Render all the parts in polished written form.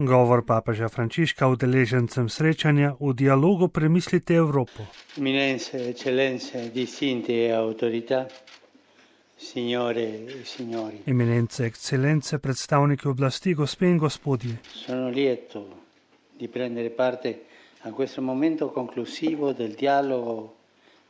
Govor papeža Frančiška udeležencem srečanja v dialogu Premislite Evropo. Eminenze, eccellenze, distinti e autorità, signore e signori. Eminence, ekscelence, predstavniki oblasti, gospe in gospodje. Sono lieto di prendere parte a questo momento conclusivo del dialogo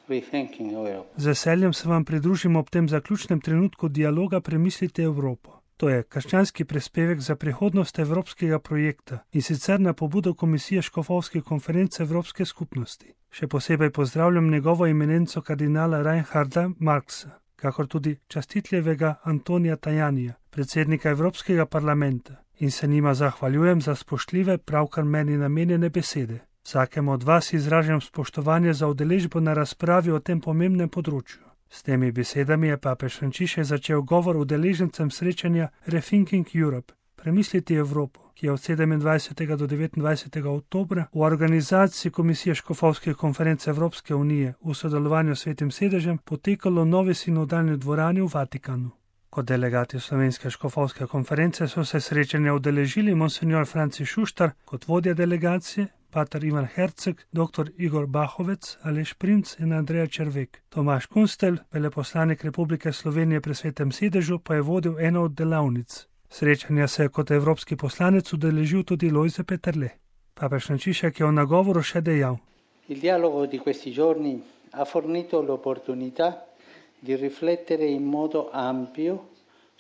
Rethinking Europe. Z veseljem se vam pridružim ob tem zaključnem trenutku dialoga Premislite Evropo. To je krščanski prispevek za prihodnost evropskega projekta in sicer na pobudo Komisije Škofovske konference Evropske skupnosti. Še posebej pozdravljam njegovo eminenco kardinala Reinharda Marxa, kakor tudi častitljevega Antonija Tajanija, predsednika Evropskega parlamenta, in se njima zahvaljujem za spoštljive, pravkar meni namenjene besede. Vsakemu od vas izražam spoštovanje za udeležbo na razpravi o tem pomembnem področju. S temi besedami je papež Frančišek začel govor udeležencem srečanja Rethinking Europe, Premislite Evropo, ki je od 27. do 29. oktobra v organizaciji Komisije Škofovske konference Evropske unije v sodelovanju s Svetim sedežem potekalo v novi sinodalni dvorani v Vatikanu. Kot delegati Slovenske škofovske konference so se srečanja udeležili monsignor Franci Šuštar kot vodja delegacije, pater Ivan Herceg, dr. Igor Bahovec, Aleš Primc in Andreja Červek. Tomaž Kunstelj, veleposlanik Republike Slovenije pri Svetem sedežu, pa je vodil eno od delavnic. Srečanja se je kot evropski poslanec udeležil tudi Lojze Peterle. Papež Frančišek je v nagovoru še dejal: Il dialogo di questi giorni ha fornito l'opportunità di riflettere in modo ampio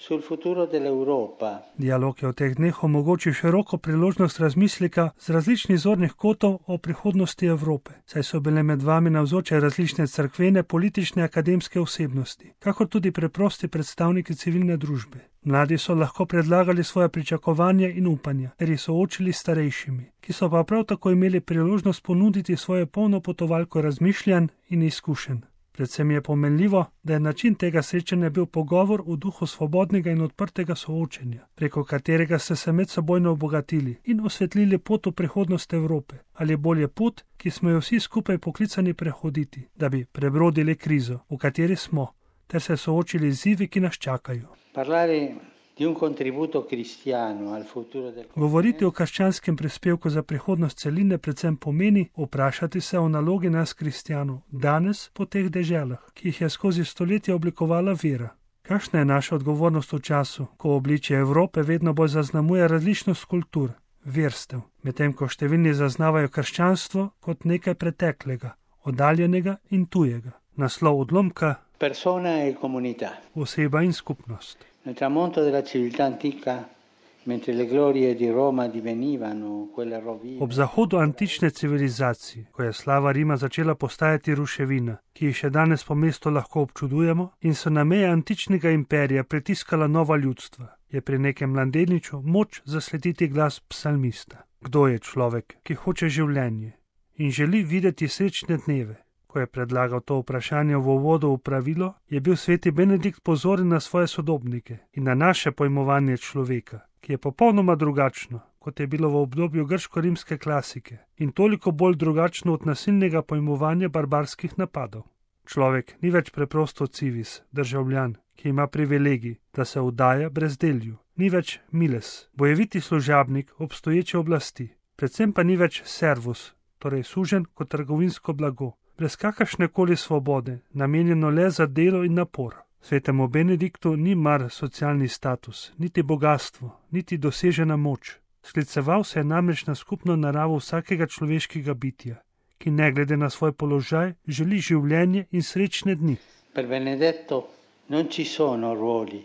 sul futuro dell'Europa. Dialog je v teh dneh omogočil široko priložnost razmisleka z različnih zornih kotov o prihodnosti Evrope, saj so bile med vami navzoče različne cerkvene, politične, akademske osebnosti, kakor tudi preprosti predstavniki civilne družbe. Mladi so lahko predlagali svoje pričakovanja in upanja, ter jih soočili s starejšimi, ki so pa prav tako imeli priložnost ponuditi svoje polno potovalko razmišljanj in izkušenj. Predvsem je pomenljivo, da je način tega srečanja bil pogovor v duhu svobodnega in odprtega soočenja, preko katerega ste se medsebojno obogatili in osvetlili pot v prihodnost Evrope, ali bolje pot, ki smo jo vsi skupaj poklicani prehoditi, da bi prebrodili krizo, v kateri smo, ter se soočili z izzivi, ki nas čakajo. Govoriti o krščanskem prispevku za prihodnost celine predvsem pomeni vprašati se o nalogi nas kristjanov danes po teh deželah, ki jih je skozi stoletja oblikovala vera. Kakšna je naša odgovornost v času, ko obličje Evrope vedno bolj zaznamuje različnost kultur, verstev, medtem ko številni zaznavajo krščanstvo kot nekaj preteklega, oddaljenega in tujega. Naslov odlomka: Persona e comunità. Oseba in skupnost. Nel tramonto della civiltà antica, mentre le glorie di Roma divenivano quelle rovine. Ob zahodu antične civilizacije, ko je slava Rima začela postajati ruševina, ki jih še danes po mestu lahko občudujemo, in so na meje antičnega imperija pritiskala nova ljudstva, je pri nekem mladeniču moč zaslediti glas psalmista. Kdo je človek, ki hoče življenje in želi videti srečne dneve? Ko je predlagal to vprašanje v uvodu v pravilo, je bil sveti Benedikt pozoren na svoje sodobnike in na naše pojmovanje človeka, ki je popolnoma drugačno, kot je bilo v obdobju grško-rimske klasike in toliko bolj drugačno od nasilnega pojmovanja barbarskih napadov. Človek ni več preprosto civis, državljan, ki ima privilegij, da se vdaja brezdelju, ni več miles, bojeviti služabnik obstoječe oblasti, predvsem pa ni več servus, torej suženj kot trgovinsko blago, brez kakršnekoli svobode, namenjeno le za delo in napor. Svetemu Benediktu ni mar socialni status, niti bogatstvo, niti dosežena moč. Skliceval se je namreč na skupno naravo vsakega človeškega bitja, ki ne glede na svoj položaj želi življenje in srečne dni. Per Benedetto non ci sono ruoli,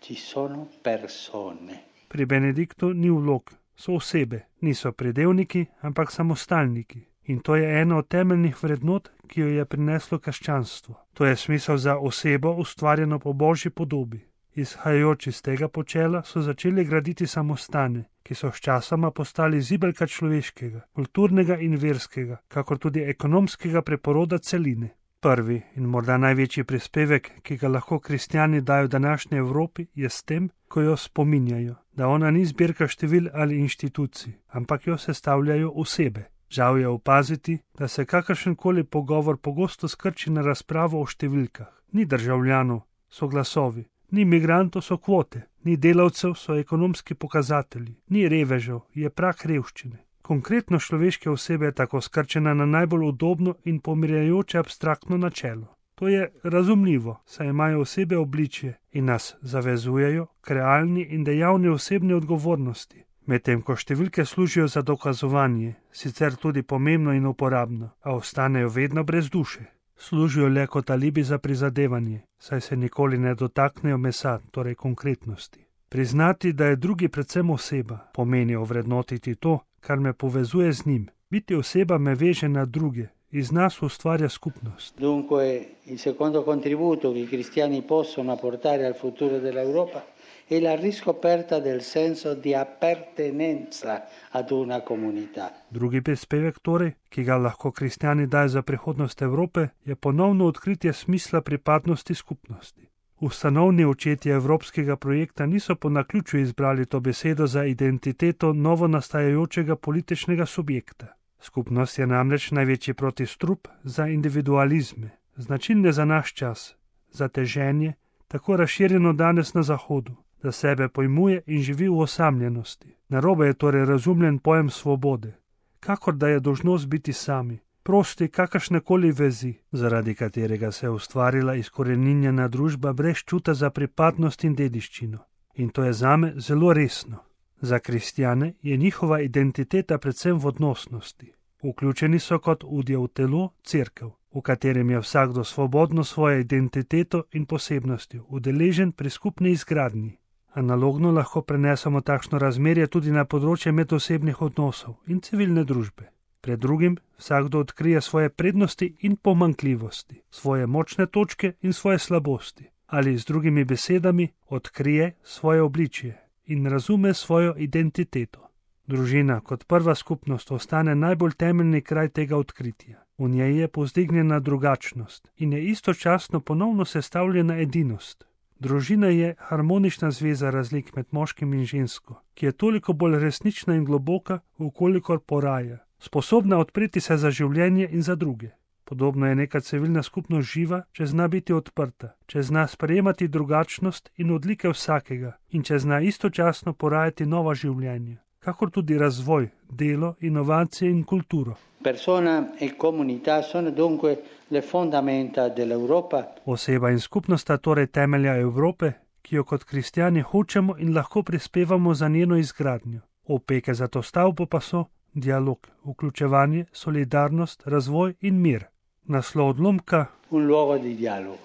ci sono persone. Pri Benediktu ni vlog, so osebe, niso pridevniki, ampak samostalniki. In to je ena od temeljnih vrednot, ki jo je prineslo krščanstvo. To je smisel za osebo, ustvarjeno po Božji podobi. Izhajajoč iz tega počela so začeli graditi samostane, ki so sčasoma postali zibelka človeškega, kulturnega in verskega, kakor tudi ekonomskega preporoda celine. Prvi in morda največji prispevek, ki ga lahko kristjani dajo današnji Evropi, je s tem, ko jo spominjajo, da ona ni zbirka števil ali inštitucij, ampak jo sestavljajo osebe. Žal je opaziti, da se kakršenkoli pogovor pogosto skrči na razpravo o številkah. Ni državljanov, so glasovi, ni migrantov, so kvote, ni delavcev, so ekonomski pokazatelji, ni revežev, je prag revščine. Konkretno človeške osebe je tako skrčena na najbolj udobno in pomirjajoče abstraktno načelo. To je razumljivo, saj imajo osebe obličje in nas zavezujejo k realni in dejavni osebni odgovornosti, medtem ko številke služijo za dokazovanje, sicer tudi pomembno in uporabno, a ostanejo vedno brez duše. Služijo le kot alibi za prizadevanje, saj se nikoli ne dotaknejo mesa, torej konkretnosti. Priznati, da je drugi predvsem oseba, pomeni ovrednotiti to, kar me povezuje z njim. Biti oseba me veže na druge, iz nas ustvarja skupnost. Dunque, il secondo contributo che i cristiani possono apportare al futuro dell'Europa è la riscoperta del senso di appartenenza ad una comunità. Drugi prispevek torej, ki ga lahko kristjani dajo za prihodnost Evrope, je ponovno odkritje smisla pripadnosti skupnosti. Ustanovni očetje evropskega projekta niso po naključju izbrali to besedo za identiteto novonastajajočega političnega subjekta. Skupnost je namreč največji protistrup za individualizme, značilne za naš čas, za teženje, tako razširjeno danes na Zahodu, da sebe pojmuje in živi v osamljenosti. Narobe je torej razumljen pojem svobode, kakor da je dolžnost biti sami, prosti kakršnekoli vezi, zaradi katerega se je ustvarila izkoreninjena družba brez čuta za pripadnost in dediščino. In to je zame zelo resno. Za kristjane je njihova identiteta predvsem v odnosnosti. Vključeni so kot udje v telo, cerkev, v katerem je vsakdo svobodno svojo identiteto in posebnostjo udeležen pri skupni izgradnji. Analogno lahko prenesemo takšno razmerje tudi na področje medosebnih odnosov in civilne družbe. Pred drugim vsakdo odkrije svoje prednosti in pomanjkljivosti, svoje močne točke in svoje slabosti, ali z drugimi besedami odkrije svoje obličje in razume svojo identiteto. Družina kot prva skupnost ostane najbolj temeljni kraj tega odkritja. V njej je povzdignjena drugačnost in je istočasno ponovno sestavljena edinost. Družina je harmonična zveza razlik med moškim in žensko, ki je toliko bolj resnična in globoka, vkolikor poraja, sposobna odpreti se za življenje in za druge. Podobno je neka civilna skupnost živa, če zna biti odprta, če zna sprejemati drugačnost in odlike vsakega in če zna istočasno porajati nova življenja, kakor tudi razvoj, delo, inovacije in kulturo. Persona e comunità sono dunque le fondamenta dell'Europa. Oseba in skupnost sta torej temelja Evrope, ki jo kot kristjani hočemo in lahko prispevamo za njeno izgradnjo. Opeke za to stavbo pa so dialog, vključevanje, solidarnost, razvoj in mir. Naslov odlomka: Un luogo di dialogo.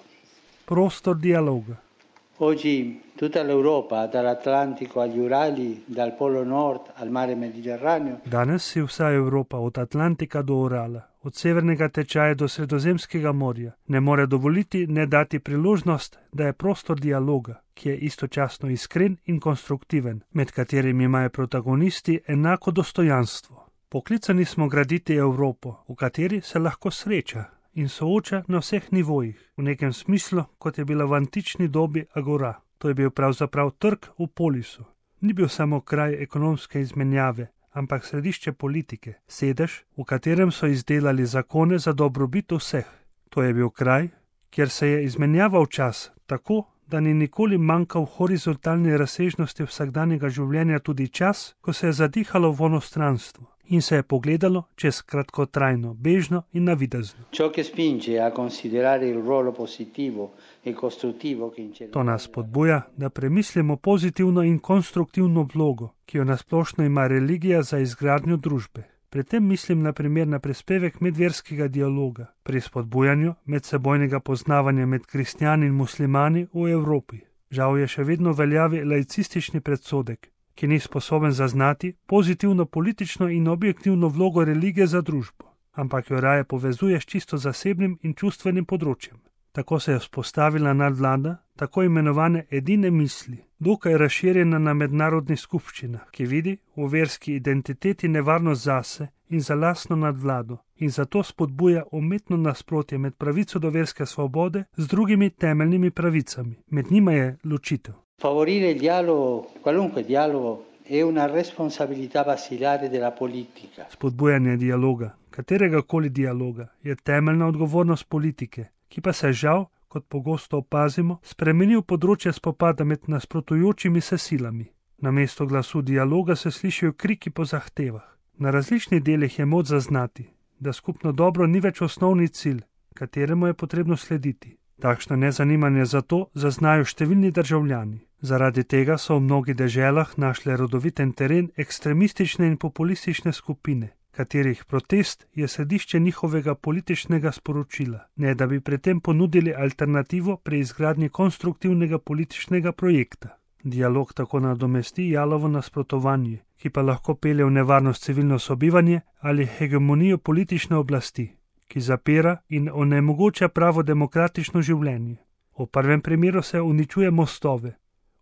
Prostor dialoga. Oggi tutta l'Europa, dall'Atlantico agli Urali, dal Polo Nord al mare Mediterraneo. Danes si vsa Evropa od Atlantika do Urala, od severnega tečaja do Sredozemskega morja, ne more dovoliti ne dati priložnost, da je prostor dialoga, ki je istočasno iskren in konstruktiven, med katerimi imajo protagonisti enako dostojanstvo. Poklicani smo graditi Evropo, v kateri se lahko sreča in sooča na vseh nivojih, v nekem smislu, kot je bila v antični dobi agora. To je bil pravzaprav trg v polisu. Ni bil samo kraj ekonomske izmenjave, ampak središče politike, sedež, v katerem so izdelali zakone za dobrobit vseh. To je bil kraj, kjer se je izmenjaval čas, tako, da ni nikoli manjkal v horizontalni razsežnosti vsakdanjega življenja tudi čas, ko se je zadihalo v onostranstvo in se je pogledalo čez kratkotrajno, bežno in navidezno. To nas spodbuja, da premislimo pozitivno in konstruktivno vlogo, ki jo nasplošno ima religija za izgradnjo družbe. Pri tem mislim na primer na prispevek medverskega dialoga, pri spodbujanju medsebojnega poznavanja med kristjani in muslimani v Evropi. Žal je še vedno veljavi laicistični predsodek, ki ni sposoben zaznati pozitivno politično in objektivno vlogo religije za družbo, ampak jo raje povezuje s čisto zasebnim in čustvenim področjem. Tako se je vzpostavila nadvlada tako imenovane edine misli, dokaj razširjena na mednarodnih skupščinah, ki vidi v verski identiteti nevarnost zase in za lastno nadvlado in zato spodbuja umetno nasprotje med pravico do verske svobode z drugimi temeljnimi pravicami. Med njima je ločitev. Favorire il dialogo, qualunque dialogo, è una responsabilità basilare della politica. Spodbujanje dialoga, katerega koli dialoga, je temeljna odgovornost politike, ki pa se žal, kot pogosto opazimo, spremenil področje spopada med nasprotujočimi se silami. Namesto glasu dialoga se slišijo kriki po zahtevah. Na različnih delih je moč zaznati, da skupno dobro ni več osnovni cilj, kateremu je potrebno slediti. Takšno nezanimanje za to zaznajo številni državljani. Zaradi tega so v mnogih deželah našle rodoviten teren ekstremistične in populistične skupine, katerih protest je središče njihovega političnega sporočila, ne da bi pri tem ponudili alternativo pri izgradnji konstruktivnega političnega projekta. Dialog tako nadomesti jalovo nasprotovanje, ki pa lahko pelje v nevarnost civilno sobivanje ali hegemonijo politične oblasti, ki zapira in onemogoča pravo demokratično življenje. V prvem primeru se uničuje mostove,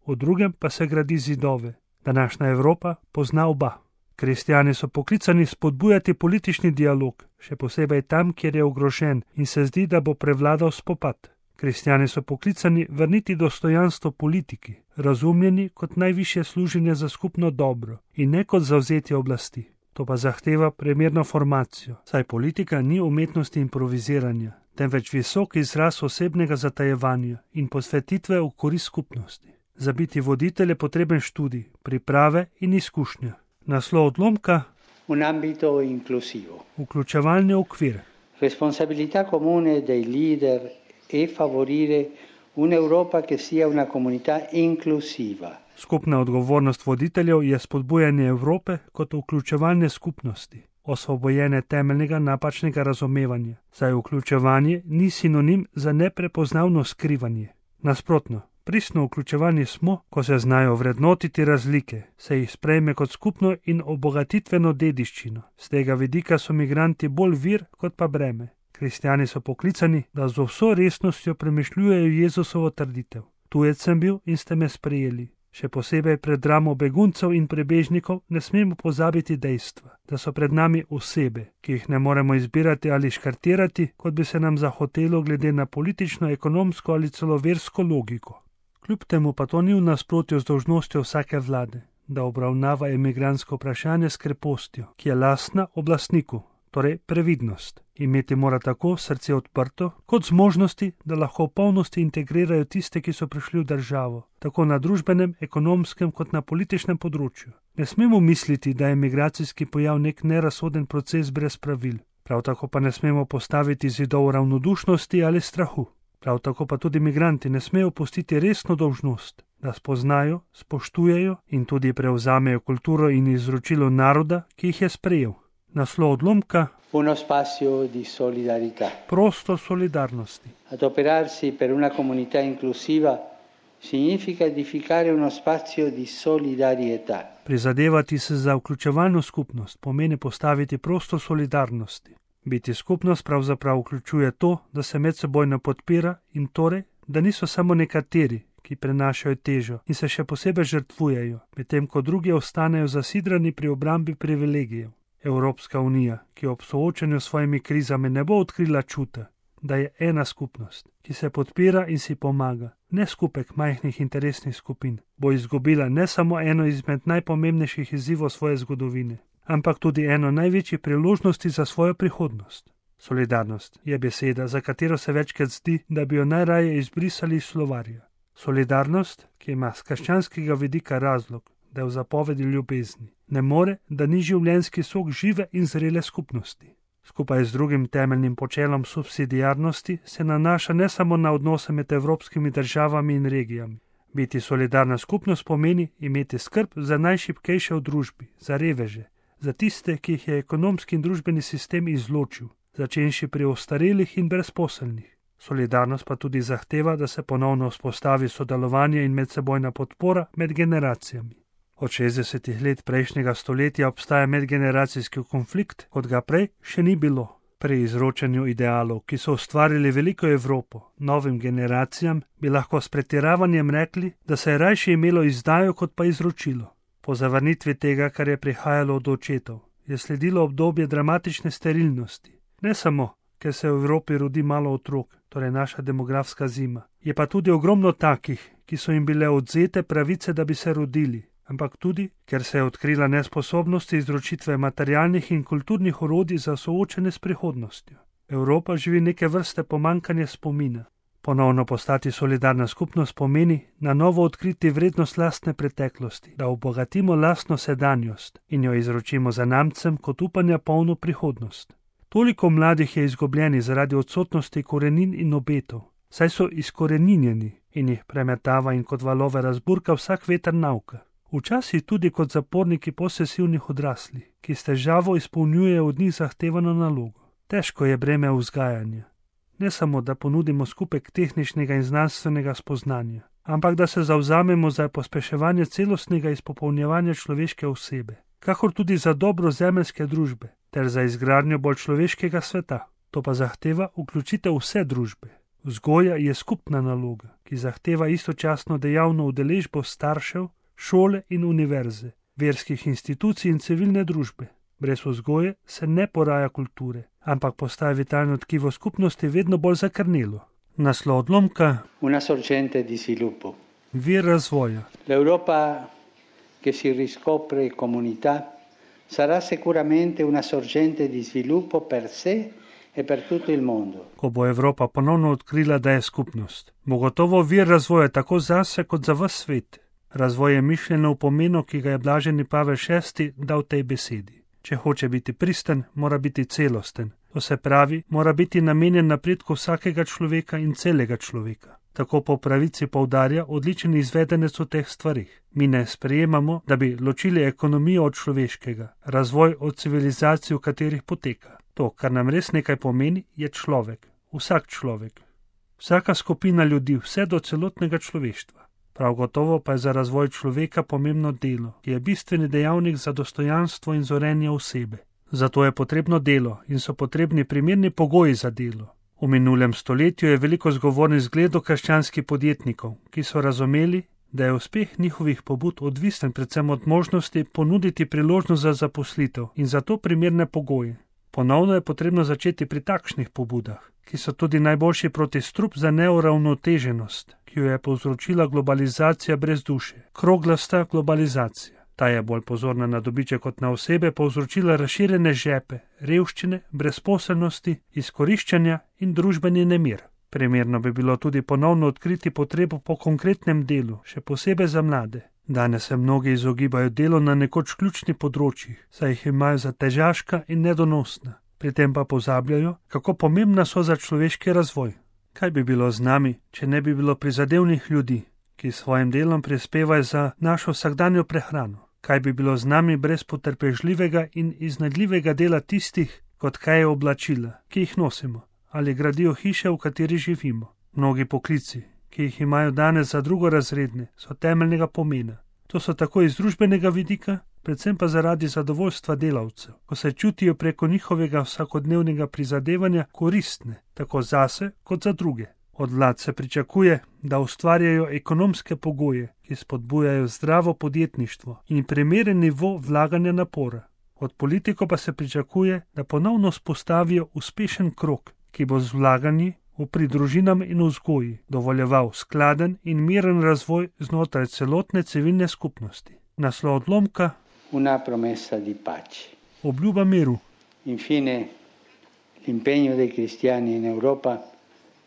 v drugem pa se gradi zidove. Današnja Evropa pozna oba. Kristjani so poklicani spodbujati politični dialog, še posebej tam, kjer je ogrožen in se zdi, da bo prevladal spopad. Kristjani so poklicani vrniti dostojanstvo politiki, razumljeni kot najvišje služenje za skupno dobro in ne kot zavzetje oblasti. To pa zahteva primerno formacijo, saj politika ni umetnost improviziranja, temveč visok izraz osebnega zatajevanja in posvetitve v korist skupnosti. Za biti voditelj je potreben študij, priprave in izkušnja. Naslov odlomka: Un ambito inclusivo. Vključevalni okvir. Responsabilità comune dei leader è favorire un'Europa che sia una comunità inclusiva. Skupna odgovornost voditeljev je spodbujanje Evrope kot vključevalne skupnosti, osvobojene temeljnega napačnega razumevanja, saj vključevanje ni sinonim za neprepoznavno skrivanje. Nasprotno, pristno vključevanje smo, ko se znajo vrednotiti razlike, se jih sprejme kot skupno in obogatitveno dediščino. Z tega vidika so migranti bolj vir kot pa breme. Kristjani so poklicani, da z vso resnostjo premišljujejo Jezusovo trditev. Tujec sem bil in ste me sprejeli. Še posebej pred dramo beguncev in prebežnikov ne smemo pozabiti dejstva, da so pred nami osebe, ki jih ne moremo izbirati ali škartirati, kot bi se nam zahotelo glede na politično, ekonomsko ali celo versko logiko. Kljub temu pa to ni v nasprotju z dolžnostjo vsake vlade, da obravnava emigrantsko vprašanje s krepostjo, ki je lastna oblastniku, torej previdnost. Imeti mora tako srce odprto, kot zmožnosti, da lahko v polnosti integrirajo tiste, ki so prišli v državo, tako na družbenem, ekonomskem kot na političnem področju. Ne smemo misliti, da je migracijski pojav nek nerasoden proces brez pravil. Prav tako pa ne smemo postaviti zidov ravnodušnosti ali strahu. Prav tako pa tudi migranti ne smejo pustiti resno dolžnost, da spoznajo, spoštujejo in tudi prevzamejo kulturo in izročilo naroda, ki jih je sprejel. Naslov odlomka: Uno spazio di solidarietà. Prostor solidarnosti. Adoperarsi per una comunità inclusiva significa edificare uno spazio di solidarietà. Prizadevati se za vključevalno skupnost pomeni postaviti prostor solidarnosti. Biti skupnost pravzaprav vključuje to, da se medsebojno podpira in torej, da niso samo nekateri, ki prenašajo težo in se še posebej žrtvujejo, medtem ko drugi ostanejo zasidrani pri obrambi privilegijev. Evropska unija, ki ob soočanju s svojimi krizami ne bo odkrila čuta, da je ena skupnost, ki se podpira in si pomaga, ne skupek majhnih interesnih skupin, bo izgubila ne samo eno izmed najpomembnejših izzivov svoje zgodovine, ampak tudi eno največjih priložnosti za svojo prihodnost. Solidarnost je beseda, za katero se večkrat zdi, da bi jo najraje izbrisali iz slovarja. Solidarnost, ki ima s krščanskega vidika razlog, da je v zapovedi ljubezni, ne more, da ni življenjski sok žive in zrele skupnosti. Skupaj z drugim temeljnim počelom subsidiarnosti se nanaša ne samo na odnose med evropskimi državami in regijami. Biti solidarna skupnost pomeni imeti skrb za najšibkejše v družbi, za reveže, za tiste, ki jih je ekonomski in družbeni sistem izločil, začenši pri ostarelih in brezposelnih. Solidarnost pa tudi zahteva, da se ponovno vzpostavi sodelovanje in medsebojna podpora med generacijami. Od 60 let prejšnjega stoletja obstaja medgeneracijski konflikt, kot ga prej še ni bilo. Pri izročanju idealov, ki so ustvarili veliko Evropo, novim generacijam, bi lahko s pretiravanjem rekli, da se je rajše imelo izdajo kot pa izročilo. Po zavrnitvi tega, kar je prihajalo od očetov, je sledilo obdobje dramatične sterilnosti. Ne samo, ker se v Evropi rodi malo otrok, torej naša demografska zima. Je pa tudi ogromno takih, ki so jim bile odzete pravice, da bi se rodili, ampak tudi, ker se je odkrila nesposobnost izročitve materialnih in kulturnih orodij za soočenje s prihodnostjo. Evropa živi neke vrste pomanjkanje spomina. Ponovno postati solidarna skupnost pomeni na novo odkriti vrednost lastne preteklosti, da obogatimo lastno sedanjost in jo izročimo zanamcem kot upanja polno prihodnost. Toliko mladih je izgubljenih zaradi odsotnosti korenin in obetov, saj so izkoreninjeni in jih premetava in kot valove razburka vsak veter nauka. Včasih tudi kot zaporniki posesivnih odraslih, ki s težavo izpolnjujejo od njih zahtevano nalogo. Težko je breme vzgajanja. Ne samo, da ponudimo skupek tehničnega in znanstvenega spoznanja, ampak da se zavzamemo za pospeševanje celostnega izpopolnjevanja človeške osebe, kakor tudi za dobro zemeljske družbe, ter za izgradnjo bolj človeškega sveta. To pa zahteva vključitev vse družbe. Vzgoja je skupna naloga, ki zahteva istočasno dejavno udeležbo staršev, šole in univerze, verskih institucij in civilne družbe. Brez vzgoje se ne poraja kulture, ampak postaja vitalno tkivo skupnosti vedno bolj zakrnelo. Naslov odlomka: Una sorgente di sviluppo. Vir razvoja. L'Europa che si riscopre comunità sarà sicuramente una sorgente di sviluppo per sé e per tutto il mondo. Ko bo Evropa ponovno odkrila, da je skupnost, bo gotovo vir razvoja tako zase kot za ves svet. Razvoj je mišljeno v pomenu, ki ga je blaženi Pavel VI dal tej besedi. Če hoče biti pristen, mora biti celosten. To se pravi, mora biti namenjen napredku vsakega človeka in celega človeka. Tako po pravici poudarja odličen izvedenec v teh stvarih. Mi ne sprejemamo, da bi ločili ekonomijo od človeškega, razvoj od civilizacij, v katerih poteka. To, kar nam res nekaj pomeni, je človek. Vsak človek. Vsaka skupina ljudi, vse do celotnega človeštva. Prav gotovo pa je za razvoj človeka pomembno delo, ki je bistveni dejavnik za dostojanstvo in zorenje osebe. Zato je potrebno delo in so potrebni primerni pogoji za delo. V minulem stoletju je veliko zgovornih zgledov krščanskih podjetnikov, ki so razumeli, da je uspeh njihovih pobud odvisen predvsem od možnosti ponuditi priložnost za zaposlitev in zato primerne pogoje. Ponovno je potrebno začeti pri takšnih pobudah, ki so tudi najboljši protistrup za neuravnoteženost, ki jo je povzročila globalizacija brez duše, kroglasta globalizacija. Ta je bolj pozorna na dobiček kot na osebe povzročila razširjene žepe, revščine, brezposelnosti, izkoriščanja in družbeni nemir. Primerno bi bilo tudi ponovno odkriti potrebo po konkretnem delu, še posebej za mlade. Danes se mnogi izogibajo delu na nekoč ključnih področjih, saj jih imajo za težaška in nedonosna. Pri tem pa pozabljajo, kako pomembna so za človeški razvoj. Kaj bi bilo z nami, če ne bi bilo prizadevnih ljudi, ki svojim delom prispevajo za našo vsakdanjo prehrano? Kaj bi bilo z nami brez potrpežljivega in iznajdljivega dela tistih, kot kaj je oblačila, ki jih nosimo, ali gradijo hiše, v kateri živimo? Mnogi poklici, ki jih imajo danes za drugorazredne, so temeljnega pomena. To so tako iz družbenega vidika, predvsem pa zaradi zadovoljstva delavcev, ko se čutijo preko njihovega vsakodnevnega prizadevanja koristne, tako zase kot za druge. Od vlad se pričakuje, da ustvarjajo ekonomske pogoje, ki spodbujajo zdravo podjetništvo in primeren nivo vlaganja napora. Od politikov pa se pričakuje, da ponovno spostavijo uspešen krog, ki bo z vlaganji v pridružinam in vzgoji dovoljeval skladen in miren razvoj znotraj celotne civilne skupnosti. Naslov odlomka: Una promessa di pace. Obljuba miru. Infine, l'impegno dei cristiani in Europa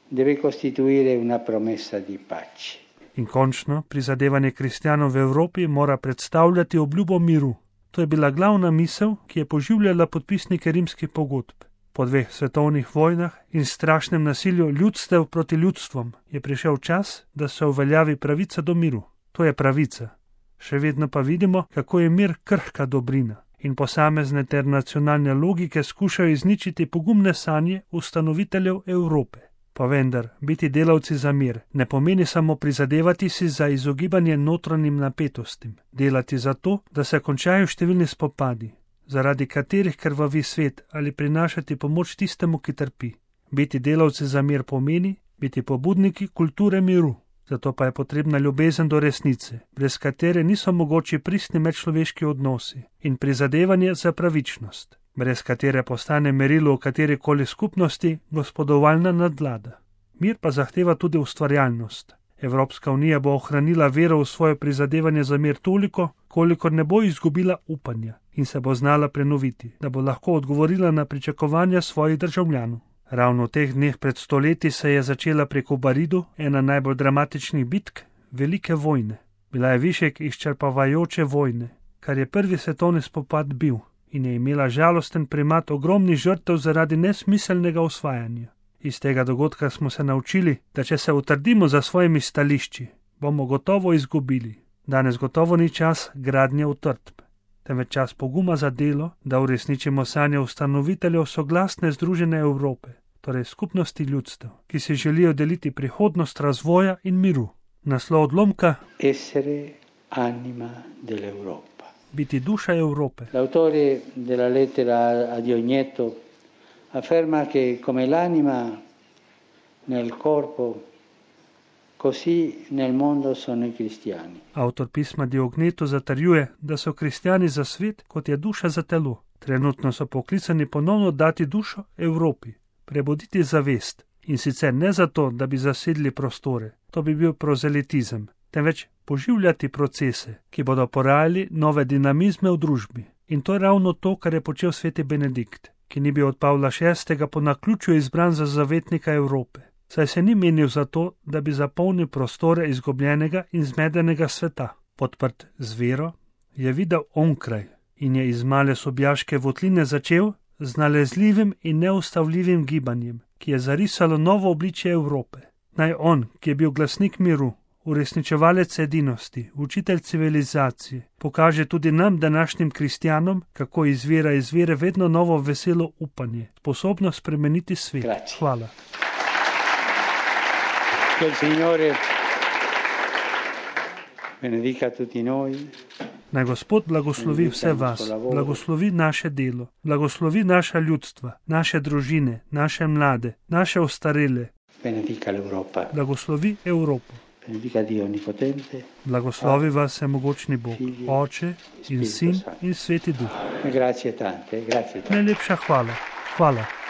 deve costituire una promessa di pace. In končno, prizadevanje kristjanov v Evropi mora predstavljati obljubo miru. To je bila glavna misel, ki je poživljala podpisnike rimskih pogodb. Po 2 svetovnih vojnah in strašnem nasilju ljudstev proti ljudstvom je prišel čas, da se uveljavi pravica do miru. To je pravica. Še vedno pa vidimo, kako je mir krhka dobrina in posamezne ter nacionalne logike skušajo izničiti pogumne sanje ustanoviteljev Evrope. Pa vendar, biti delavci za mir ne pomeni samo prizadevati si za izogibanje notranjim napetostim, delati za to, da se končajo številni spopadi, zaradi katerih krvavi svet, ali prinašati pomoč tistemu, ki trpi. Biti delavci za mir pomeni biti pobudniki kulture miru. Zato pa je potrebna ljubezen do resnice, brez katere niso mogoči pristni medčloveški odnosi in prizadevanje za pravičnost, brez katere postane merilo v katerikoli skupnosti gospodovalna nadvlada. Mir pa zahteva tudi ustvarjalnost. Evropska unija bo ohranila vero v svoje prizadevanje za mir toliko, kolikor ne bo izgubila upanja in se bo znala prenoviti, da bo lahko odgovorila na pričakovanja svojih državljanov. Ravno v teh dneh pred stoletji se je začela pri Kobaridu ena najbolj dramatičnih bitk velike vojne. Bila je višek izčrpavajoče vojne, kar je prvi svetovni spopad bil in je imela žalosten primat ogromnih žrtev zaradi nesmiselnega osvajanja. Iz tega dogodka smo se naučili, da če se utrdimo za svojimi stališči, bomo gotovo izgubili. Danes gotovo ni čas gradnje utrdb, temveč čas poguma za delo, da uresničimo sanje ustanoviteljev soglasne združene Evrope, torej skupnosti ljudstev, ki si želijo deliti prihodnost razvoja in miru. Naslov odlomka: Essere anima dell'Europa. Biti duša Evrope. L'autore della lettera a Diogneto afferma che come l'anima nel corpo, così nel mondo sono i cristiani. Avtor pisma Diognetu zatrjuje, da so kristjani za svet, kot je duša za telo. Trenutno so poklicani ponovno dati dušo Evropi, prebuditi zavest, in sicer ne zato, da bi zasedli prostore, to bi bil prozelitizem, temveč poživljati procese, ki bodo porajali nove dinamizme v družbi. In to je ravno to, kar je počel sveti Benedikt, ki ni bil od Pavla VI. Po naključju izbran za zavetnika Evrope, saj se ni menil za to, da bi zapolnil prostore izgubljenega in zmedenega sveta. Podprt z vero je videl onkraj in je iz male sobjaške votline začel z nalezljivim in neustavljivim gibanjem, ki je zarisalo novo obličje Evrope. Naj on, ki je bil glasnik miru, uresničevalec edinosti, učitelj civilizacije, pokaže tudi nam, današnjim kristjanom, kako izvira iz vere vedno novo veselo upanje, sposobno spremeniti svet. Grazie. Hvala. Che il Signore benedica tutti noi. Naj Gospod blagoslovi vse vas, blagoslovi naše delo, blagoslovi naša ljudstva, naše družine, naše mlade, naše ostarele. Benedica l'Europa. Blagoslovi Evropo. Benedica Dio Onnipotente. Blagoslovi vas vsemogočni Bog, Oče in Sin in Sveti Duh. Grazie tante, grazie tante. Najlepša hvala. Hvala.